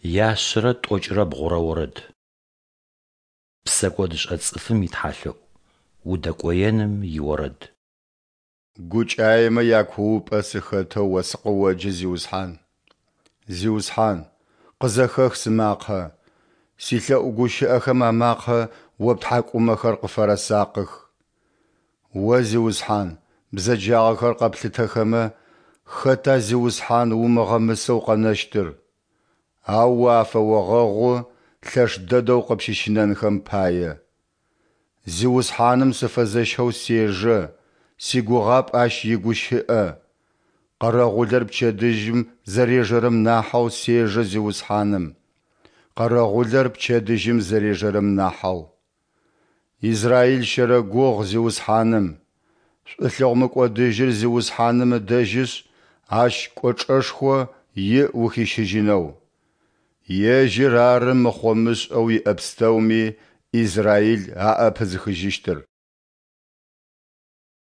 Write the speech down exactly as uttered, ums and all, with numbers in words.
Яшъэрэ тӏокӏрэ бгъурэ орэд. Псэкӏодышӏэ цӏыфым итхьалъэӏу. Удэкӏоеным иорэд. Гукӏаемэ якуупӏэ сыхэтэу О сыкъыоджэ, Зиусхьан. Зиусхьан, къызэхэх сымакъэ, силъэӏу гущыӏэхэм амакъэ О птхьакӏумэхэр къыфэрэсакъых. О, Зиусхьан, бзэджагъэхэр къэплъытэхэмэ, хэта, Зиусхьан, умыгъэмысэу къэнэщтыр? Ау О афэогъэгъу лъэш дэдэу къыпщыщынэнхэм пае. Зиусхьаным сыфэзэщэу сежэ, сигугъапӏ Ащ игущыӏэ. Къэрэгъулэр пчэдыжьым зэрежэрэм нахьэу сежэ Зиусхьаным, къэрэгъулэр пчэдыжьым зэрежэрэм нахьэу. Израил щэрэгугъ Зиусхьаным! Шӏулъэгъу мыкӏодыжьыр Зиусхьаным ыдэжьышъ, Ащ кӏочӏэшхо иӏ ухищыжьынэу. Ежьыр ары мыхъо-мышӏэу иӏэ пстэуми Израил аӏэпызыхыжьыщтыр.